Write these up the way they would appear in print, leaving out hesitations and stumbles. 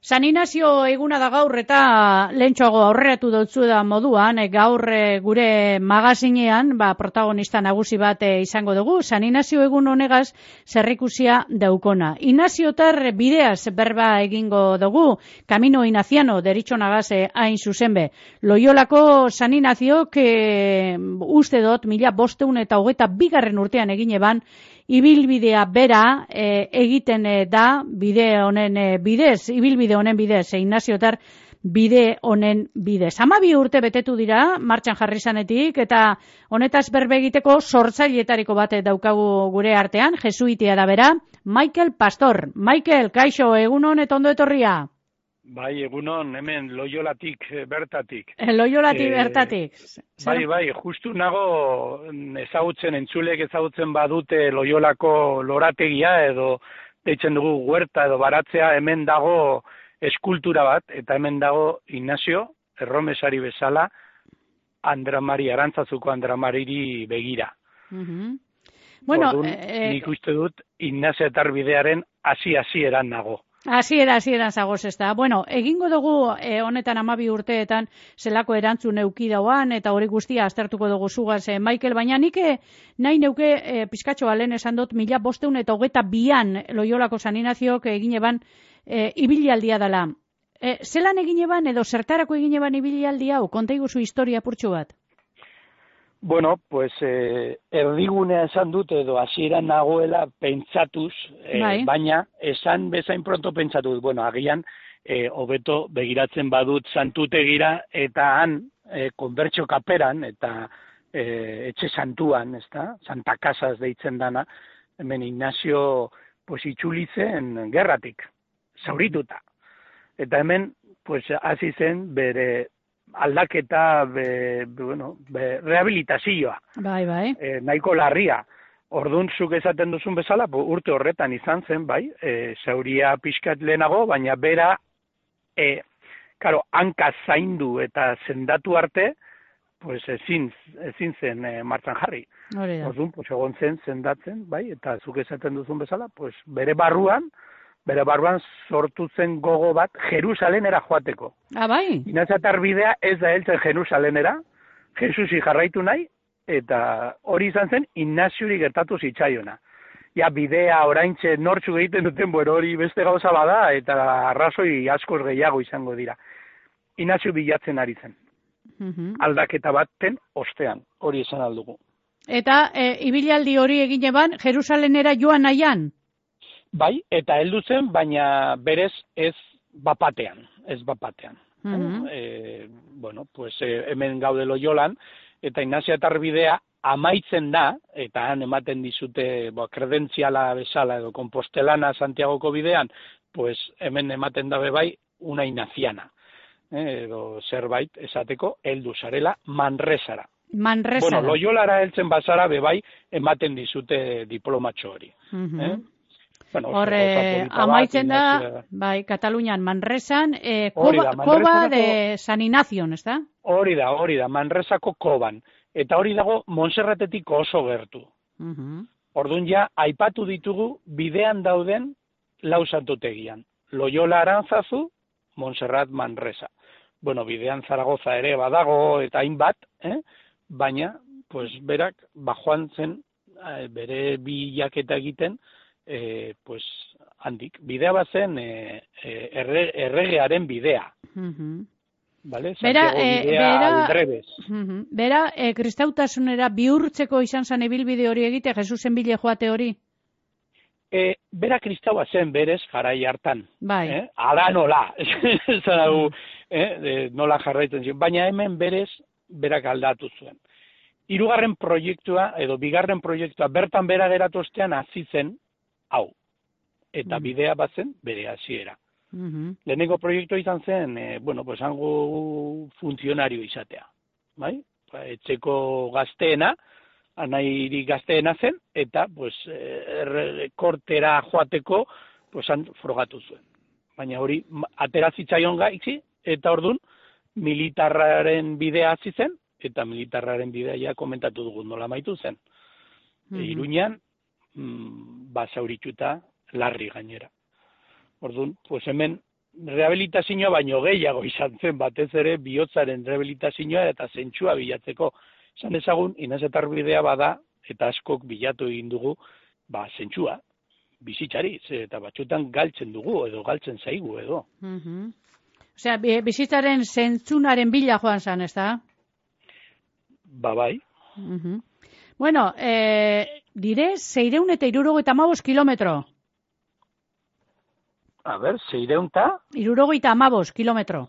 San Inazio eguna da gaur eta lehentxoago aurreratu dutzu da moduan, gaur gure magazinean protagonista nagusi bat izango dugu. San Inazio egun honegaz zerrikusia daukona. Inaziotar bideaz berba egingo dugu, Camino Inaziano deritzonagaz hain zuzenbe. Loiolako San Inaziok uste dut 1522 urtean egin eban, ibilbidea bera egiten da bide honen bidez, ibilbide honen bidez, Inaziotar bide honen bidez. 12 urte betetu dira, martxan jarri zanetik, eta honetaz berbe egiteko sortzailietariko bat daukagu gure artean, jesuitia da bera, Mikel Pastor. Mikel, kaixo, egunon eta ondo etorria. Bai, egunon, hemen Loiolatik bertatik. Loiolatik bertatik. Bai, justu nago entzulek ezagutzen badute Loiolako lorategia edo deitzen dugu huerta edo baratzea, hemen dago eskultura bat, eta hemen dago Inazio, erromesari bezala, Arantzazuko Andramariri begira. Bueno, orduan, nik uste dut Inaziotar bidearen hasi-hasieran nago. Hasieran zagoz ez da. Bueno, egingo dugu honetan 12 urteetan zelako erantzun euki dauan, eta hori guztia aztertuko dugu zugaz, Mikel, baina nik nahi neuke pizkatxoa lehen esan dut 1522an Loiolako San Inaziok egin eban ibilialdia dela. Zelan egin eban edo zertarako egin eban ibilialdia hau? Konta iguzu historia purtsu bat. Bueno, pues erdigunea esan dut edo hasieran nagoela pentsatuz, baina esan bezain pronto pentsatuz, bueno, agian hobeto begiratzen badut santutegira eta han konbertsio kaperan eta etxe santuan, ezta? Santa Casas deitzen dana, hemen Inazio pues itzuli zen gerratik, zaurituta. Eta hemen pues hasi zen bere aldaketa, rehabilitazioa. Bai. Nahiko larria. Orduan, zuk esaten duzun bezala, urte horretan izan zen, bai, zauria pixkat lehenago, baina bera, hanka zaindu eta sendatu arte, pues ezin zen martxan jarri. Orduan, pues egon zen sendatzen, bai, eta zuk esaten duzun bezala, pues bere barruan sortu zen gogo bat Jerusalenera joateko. Bai? Inaziotar bidea ez da heltzen Jerusalenera, Jesusi jarraitu nahi, eta hori izan zen Inaziori gertatu zitzaiona. Ja, bidea oraintxe nortzuk egiten duten, hori beste gauza bada, eta arrazoi askoz gehiago izango dira. Inazio bilatzen ari zen. Aldaketa baten ostean, hori esan aldugu. Eta ibilaldi hori egin eban Jerusalenera joan nahian? Bai, eta heldu zen, baina berez ez bapatean. Bueno, pues hemen gaude Loiolan, eta Inaziotar bidea amaitzen da, eta han ematen dizute kredentziala bezala edo Kompostelana Santiagoko bidean, pues hemen ematen dabe bai una inaziana. Edo zerbait esateko heldu zarela Manresara. Bueno, Loiolara heltzen bazara bebai ematen dizute diplomatxo hori. Horre, amaitzen da, bai, Katalunian, Manresan, koba de San Inazion, ez da? Hori da, Manresako koban. Eta hori dago Montserratetik oso gertu. Orduan ja, aipatu ditugu bidean dauden lau santutegian. Loiola Arantzazu, Montserrat Manresa. Bueno, bidean Zaragoza ere badago eta hainbat, baina, pues, berak, bajoan zen, bere bilaketa egiten, pues handik. Bidea bazen erregearen bidea. Vale? Bera, kristautasunera bihurtzeko izan zen ibilbide hori egite, Jesusen bile joate hori? Bera kristaua zen berez garai hartan. Bai. Ala nola. Nola jarraitzen zion. Baina hemen berez, berak aldatu zuen. Hirugarren proiektua, edo bigarren proiektua, bertan bera geratu ostean hasi zen, hau, eta bidea bazen bere hasiera. Lehenengo proiektua izan zen, pues hango funtzionario izatea. Bai? Etxeko gazteena, anairi gazteena zen, eta pues, kortera joateko pues, han frogatu zuen. Baina hori atera zitzaion gaitzi, eta orduan militarraren bidea hasi zen, eta militarraren bidea ja komentatu dugu nola amaitu zen. Iruñan, basaurituta larri gainera. Orduan, pues hemen rehabilitazioa baino gehiago izan zen, batez ere bihotzaren rehabilitazioa eta zentsua bilatzeko. Esan ezagun, Inazetar bidea bada, eta askok bilatu egin dugu, zentsua, bizitzari, eta batzutan galtzen dugu, edo galtzen zaigu, edo. Osea, bizitzaren zentzunaren bila joan zan, ez da? Bai. Bueno, dire, 675 kilometro. A ber, 675 kilometro.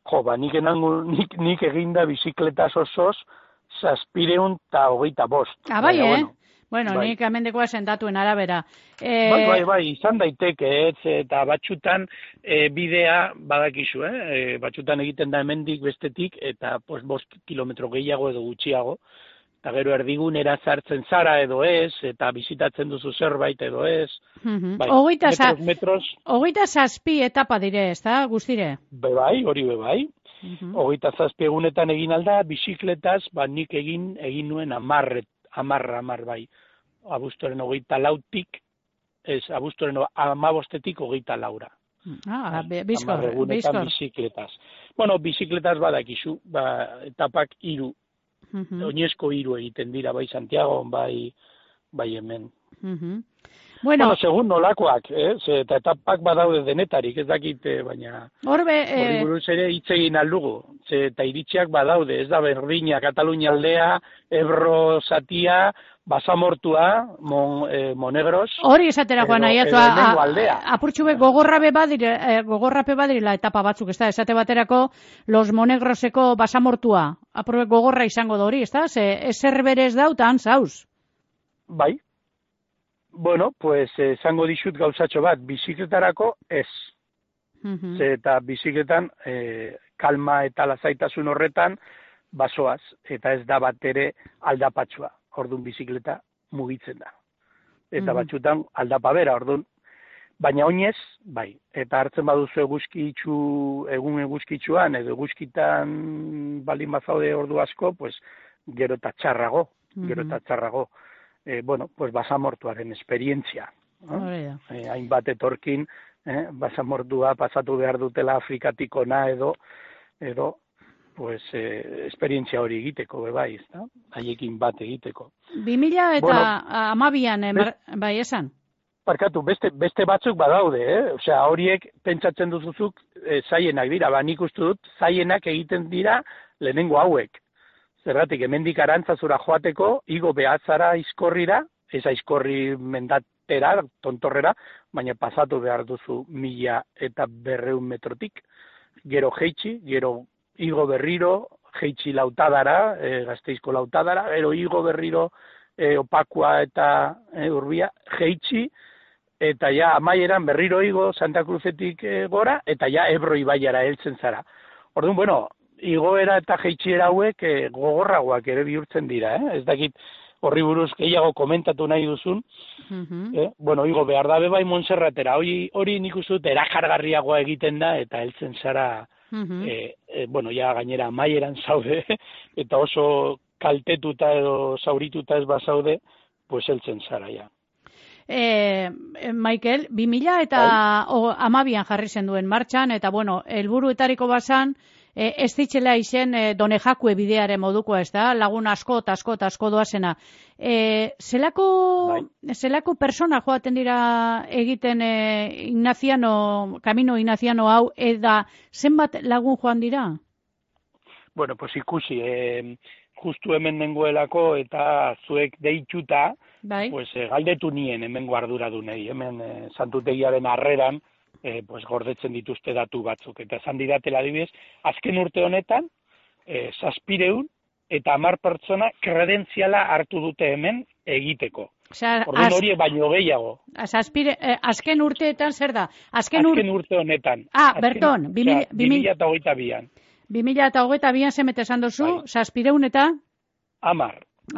Jo, nik eginda bizikletaz osoz, 725. Bai, Bueno, bai. Nik amendekoa sendatuen arabera. Bai, izan daiteke, eta batxutan bidea badakizu, batxutan egiten da hemendik bestetik, eta 5 kilometro gehiago edo gutxiago, eta gero erdigunera sartzen zara edo ez, eta bizitatzen duzu zerbait edo ez. Hogeita zazpi etapa dire, ez da, guztire? Hori bai. Hogeita zazpi egunetan egin alda, bizikletaz, nik egin nuen 10 bai. Abuztuaren 24tik, abuztuaren 15tik 24. Bizkor. Bizikletaz. Bueno, bizikletaz badakizu, etapak 3. Oinezko 3 egiten dira, bai Santiago, bai hemen. Bueno, segun nolakoak, eta etapak badaude denetarik, ez dakit, baina hori buruz ere hitz egin aldugu, eta iritziak badaude, ez da berdina, Katalunia aldea, Ebro zatia, Basamortua, Monegros. Hori esatera joan nahi, apurtxube gogorrape badirela etapa batzuk, ez da, esate baterako Los Monegroseko Basamortua, apurbe gogorra izango da hori, ez da, ezer berez dautan, zauz. Bai. Bueno, pues esango dizut gauzatxo bat, bizikletarako ez. Eta bizikletan kalma eta lasaitasun horretan basoaz, eta ez da bat ere aldapatsua. Orduan bizikleta mugitzen da. Eta batzutan aldapa bera, orduan. Baina oinez, bai. Eta hartzen baduzu egun eguzkitzuan, edo eguzkitan baldin bazaude ordu asko, pues gero eta txarrago. Bueno, pues basamortuaren esperientzia. Hainbat etorkin, basamortua pasatu behar dutela Afrikatik ona edo pues esperientzia hori egiteko, bai, ezta? Haiekin bat egiteko. 2012an, bai, esan? Barkatu, beste batzuk badaude, Osea, horiek pentsatzen duzuzuk zaienak dira, nik uste dut zaienak egiten dira lehenengo hauek. Zergatik, hemendik Arantzazura joateko, igo behatzara aizkorrira, ez aizkorri mendatera, tontorrera, baina pasatu behar duzu 1200 metrotik, gero jeitsi, gero igo berriro, jeitsi Lautadara, Gasteizko Lautadara, gero igo berriro Opakua eta Urbia, jeitsi, eta ja amaieran berriro igo Santa Cruzetik gora, eta ja Ebro ibaiara heltzen zara. Orduan, bueno, igoera eta jeitsiera hauek gogorragoak ere bihurtzen dira, Ez dakit horri buruz gehiago komentatu nahi duzun. Bueno, igo behar dabe bai Montserratera, hori nik uste dut erakargarriagoa egiten da, eta heltzen zara, bueno, ja gainera amaieran zaude, eta oso kaltetuta edo zaurituta ez bazaude, pues heltzen zara, ja. Michael, 2012an jarri zen duen martxan, eta bueno, helburuetariko bazan, ez ditxela izen Donejakue bidearen modukoa, ez da, lagun asko doazena. Zelako persona joaten dira egiten Camino Ignaziano hau, eta zenbat lagun joan dira? Bueno, pues ikusi, justu hemen nengoelako eta zuek deituta, pues galdetu nien hemengo arduradunei, hemen Santutegiaren harreran, pues gordetzen dituzte datu batzuk. Eta esan didatela adibidez, azken urte honetan, 700 eta 10 pertsona kredentziala hartu dute hemen egiteko. Orduan hori baino gehiago. Azken urteetan zer da? Azken urte honetan. Berton, 2022an. 2022an zemete esan dozu, 700 eta? 10.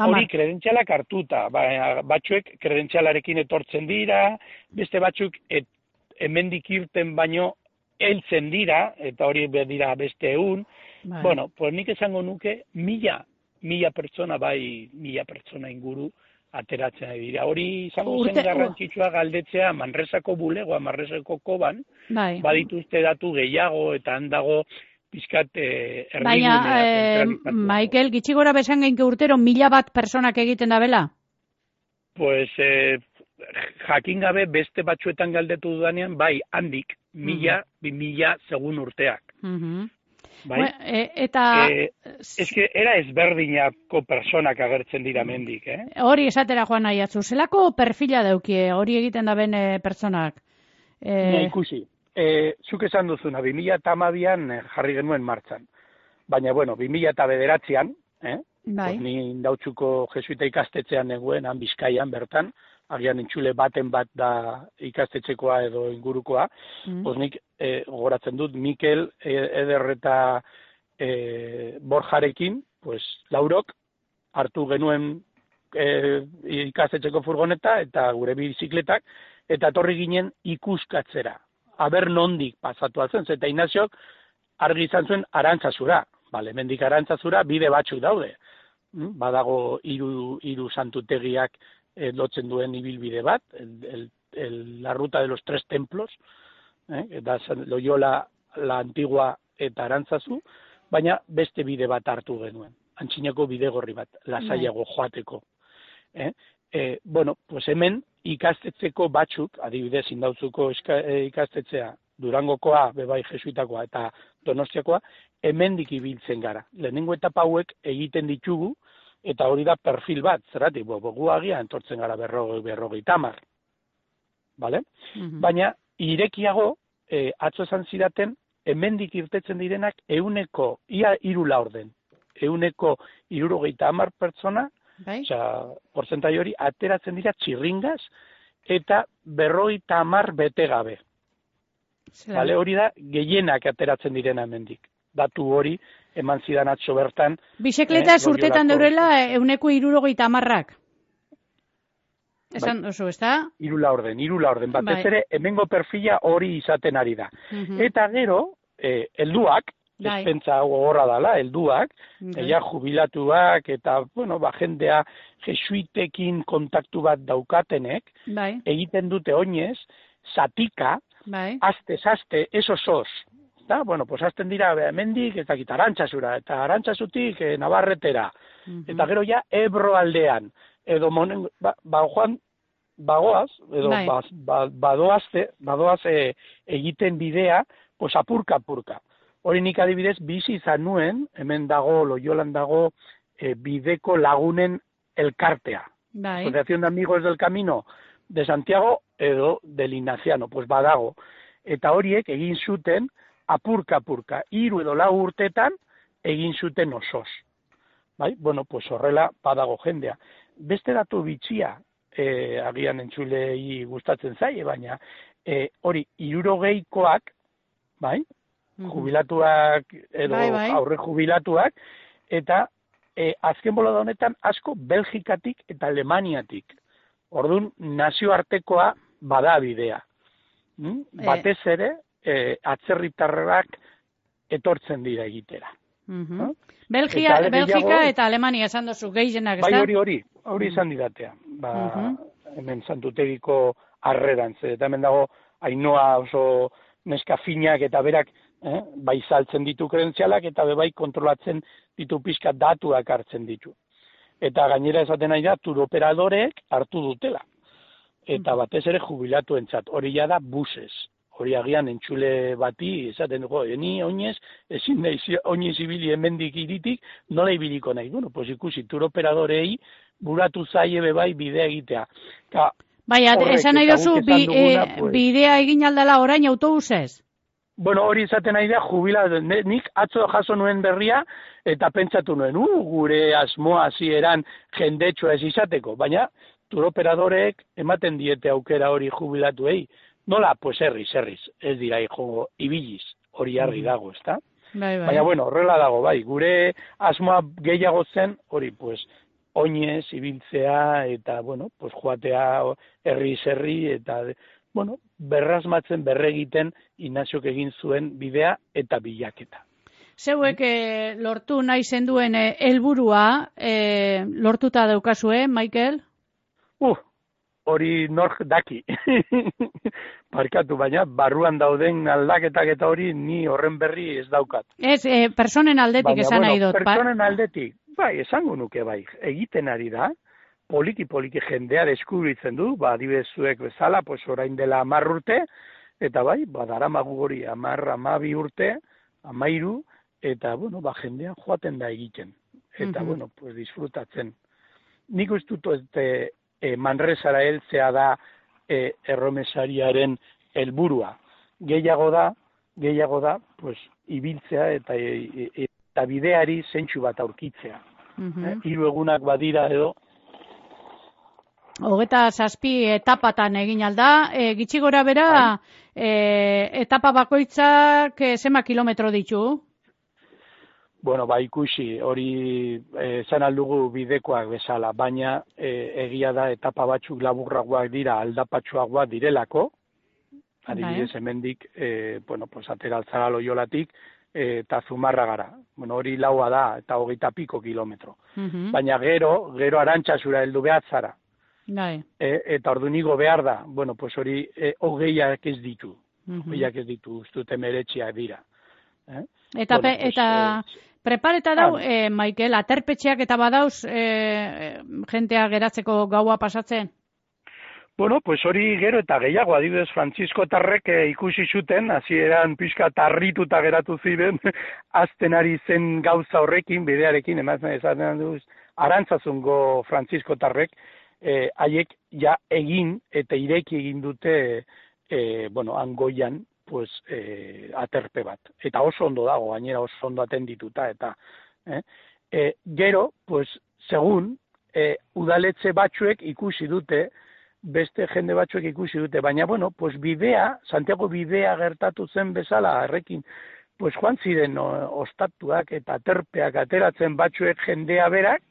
Hori kredentzialak hartuta. Batzuek kredentzialarekin etortzen dira, beste batzuk hemendik irten baino heltzen dira, eta hori dira beste egun. Bueno, pues nik esango nuke 1000 pertsona inguru ateratzen dira. Hori izango zen garrantzitsua galdetzea Manresako bulegoa, Manresako koban, badituzte datu gehiago eta handago pizkat baina, Maikel, gitxi gora besan geinke urtero 1000 personak egiten da bela? Pues, jakin gabe beste batzuetan galdetu dudanean, bai, handik, 1000, 2000 segun urteak. Bai? Eta... eske, era ezberdinako personak agertzen dira mendik, Hori esatera joan nahi atzu, zelako perfila daukie, hori egiten da ben personak? Ikusi. Zuk esan duzuna, 2012an jarri genuen martxan. Baina, bueno, 2009an, pues ni Indautxuko jesuita ikastetxean neguen, han Bizkaian bertan, agian entzule baten bat da ikastetxekoa edo ingurukoa, pues nik gogoratzen dut Mikel, Eder eta Borjarekin, pues laurok hartu genuen ikastetxeko furgoneta eta gure bizikletak, eta etorri ginen ikuskatzera. Aber nondik pasatu altzen, eta Inaziok argi izan zuen Arantzazura. Bale, mendik Arantzazura bide batzuk daude. Badago hiru santutegiak lotzen duen ibilbide bat, la ruta de los 3 templos, da Loyola, la Antigua eta Arantzazu, baina beste bide bat hartu genuen. Antxinako bidegorri bat, lasaiago joateko. Bueno, pues hemen ikastetxeko batzuk, adibidez Indautzuko ikastetxea, Durangokoa, bebai jesuitakoa eta Donostiakoa, hemendik ibiltzen gara. Lehenengo etapa hauek egiten ditugu, eta hori da perfil bat, zerratik, gu agian entortzen gara 50. Vale? Baina, irekiago, atzo esan zidaten, hemendik irtetzen direnak ia 3 laurden. 170 pertsona, porzentai hori, ateratzen dira txirringaz, eta 50 bete gabe. Vale, hori da, gehienak ateratzen direna hemendik. Datu hori, eman zidan atzo bertan. Bizikleta urtetan deurela 170. Esan oso, ez da? 3 laurden. Batez ere, hemengo perfila hori izaten ari da. Eta gero, helduak, ez pentsa gogorra dala, helduak, jubilatuak, eta, bueno, jendea jesuitekin kontaktu bat daukatenek, egiten dute oinez, zatika, aste, esos. Da, bueno, pues hasten dira hemendik, ez dakit Arantzazura, eta Arantzazutik Navarretera, eta gero ja Ebro aldean, edo bagoaz, edo badoaz egiten bidea, pues apurka. Hori nik adibidez bizi izan nuen, hemen dago, Loyolan dago, bideko lagunen elkartea. Asociación de Amigos del Camino de Santiago edo del Ignaciano, pues badago. Eta horiek egin zuten apurka, 3 edo 4 urtetan egin zuten osoz. Bai? Bueno, pues horrela badago jendea. Beste datu bitxia, agian entzulei gustatzen zaie, baina hori 60koak, bai? Jubilatuak edo aurre jubilatuak, eta azken bolada honetan asko Belgikatik eta Alemaniatik. Orduan, nazioartekoa bada bidea. Batez ere, atzerritarrak etortzen dira egitera. Belgika eta Alemania esan dozu gehienak, ez da? Bai, hori izan didatea. Hemen santutegiko harrerantz. Eta hemen dago, Ainoa oso neska finak eta berak bai saltzen ditu kredentzialak eta bai kontrolatzen ditu pixka datuak hartzen ditu. Eta gainera esaten nahi da, turoperadoreek hartu dutela. Eta batez ere jubilatuentzat, hori ja da busez. Hori agian entzule bati, esaten dugu, ni oinez, ezin nahi oinez ibili hemendik iritik, nola ibiliko nahi. Bueno, pues ikusi, turoperadorei buratu zaie bai bidea egitea. Bai, esan nahi dozu, bidea egin aldala orain autobusez? Bueno, hori izaten nahi da, nik atzo jaso nuen berria, eta pentsatu nuen, gure asmoa hasieran jendetsua ez izateko, baina turoperadoreek ematen diete aukera hori jubilatuei. Nola, pues herriz, ez dira jongo ibiliz, hori argi dago, ezta? Baina, bueno, horrela dago, bai, gure asmoa gehiago zen, hori, pues, oinez, ibiltzea, eta, bueno, pues, joatea herri, eta, bueno, berrasmatzen, berregiten, Inaziok egin zuen bidea eta bilaketa. Zeuek lortu nahi zenduen helburua lortuta daukazue, Maikel? Hori nork daki. Barkatu, baina barruan dauden aldaketak eta hori ni horren berri ez daukat. Ez, personen aldetik esan nahi dut. Personen aldetik, bai, esango nuke bai, egiten ari da, poliki jendea deskubritzen du, adibidez zuek bezala, pues orain dela 10 urte, eta bai, daramagu hori 10-12 urte, 13, eta, jendea joaten da egiten. Eta, pues disfrutatzen. Nik uste dut Manresara heltzea da erromesariaren helburua. Gehiago da, pues, ibiltzea eta bideari zentsu bat aurkitzea. 3 egunak badira edo. 27 etapatan egin alda, gitxi gora bera, etapa bakoitzak zenbat kilometro ditu? Ikusi, hori esan aldugu bidekoak bezala, baina egia da etapa batzuk laburragoak dira, aldapatsuagoak direlako, adibidez hemendik, atera altzara Loiolatik, eta Zumarragara. Hori 4 da, eta 20 piko kilometro. Baina gero Arantzazura heldu behar zara. Eta orduan igo behar da, hori 20ak ez ditu. 20ak ez ditu, ustute 19 dira. Eta prepareta dau, Maikel, aterpetxeak eta badauz jentea geratzeko gaua pasatzen? Hori gero eta gehiago, adibidez Frantziskotarrek ikusi zuten, hasieran pixka tarrituta geratu ziren, azten ari zen gauza horrekin, bidearekin, esaten duz, Arantzazungo Frantziskotarrek, haiek ja egin eta ireki egin dute, Angoian, pues, aterpe bat. Eta oso ondo dago, gainera oso ondo atendituta, eta gero, pues, segun, udaletxe batzuek ikusi dute, beste jende batzuek ikusi dute, baina, pues, bidea, Santiago bidea gertatu zen bezala, errekin, pues, joan ziren ostatuak eta aterpeak ateratzen batzuek jendea berak,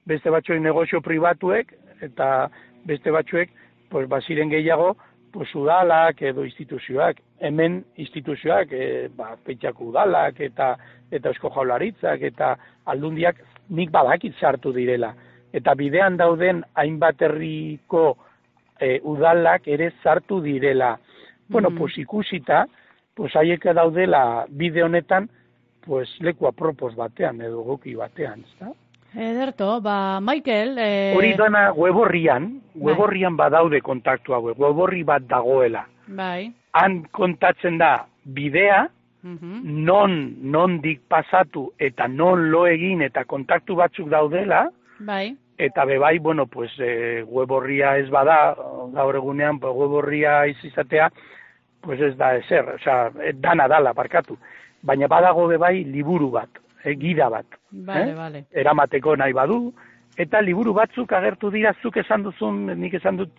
beste batzuek negozio pribatuek, eta beste batzuek, pues, baziren gehiago, pues, udalak edo instituzioak, hemen instituzioak, Petxako udalak eta Eusko Jaurlaritzak eta aldundiak nik badakit sartu direla. Eta bidean dauden hainbat herriko udalak ere sartu direla. Pues ikusita, pues haiek daudela bide honetan, pues leku apropos batean edo goki batean, ezta? Ederto, Maikel... Hori dana weborrian badaude kontaktu hauek, weborri bat dagoela. Bai. Han kontatzen da bidea, nondik pasatu eta non lo egin eta kontaktu batzuk daudela, bai. Eta bebai, pues, weborria ez bada, gaur egunean, weborria izatea, pues ez da ezer, dana dala, barkatu. Baina badago bebai liburu bat. Gida bat. Vale. Eramateko nahi badu, eta liburu batzuk agertu dira, zuk esan duzun, nik esan dut,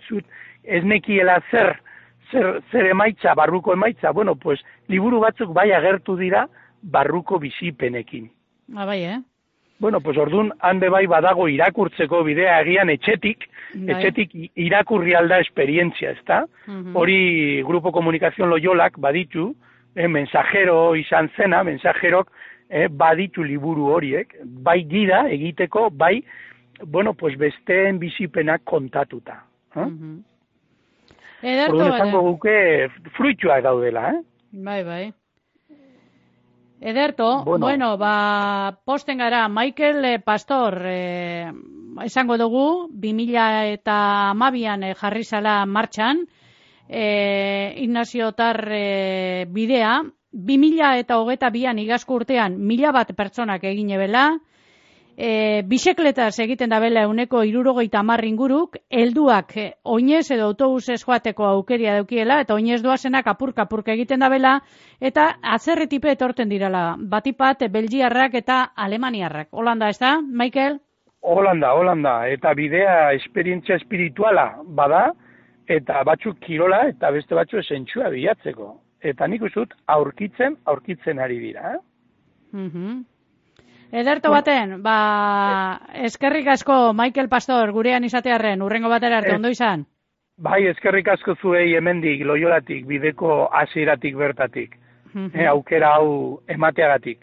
ez nekiela zer emaitza, barruko emaitza, pues, liburu batzuk bai agertu dira, barruko bizipenekin. Bai, Pues orduan, hande bai badago irakurtzeko bidea egian etxetik irakurri alda esperientzia, ezta? Hori Grupo Komunikazion Loiolak baditu, mensajero izan zena, mensajerok, baditu liburu horiek, bai gida egiteko, bai, pues besteen bizipenak kontatuta. Ederto, esango guke fruituak daudela, Bai. Ederto, posten gara, Maikel Pastor, esango dugu, 2012an jarri zala martxan, Ignacio Tar bidea, 2022an igazko urtean 1000 pertsonak egin ebela, bisekletaz egiten da bela 170 inguruk, helduak oinez edo autobusez joateko aukeria daukiela, eta oinez doazenak apurka egiten da bela, eta atzerretipe etorten dirala, batipat belgiarrak eta alemaniarrak. Holanda, ez da, Maikel? Holanda, eta bidea esperientzia espirituala bada, eta batzuk kirola, eta beste batzuk zentsua bilatzeko. Eta nik uste dut aurkitzen ari dira. Ederto baten, eskerrik asko Maikel Pastor gurean izatearren, urrengo batera arte, ondo izan? Bai, eskerrik asko zuei hemendik, Loiolatik, bideko hasieratik bertatik. Aukera hau emateagatik.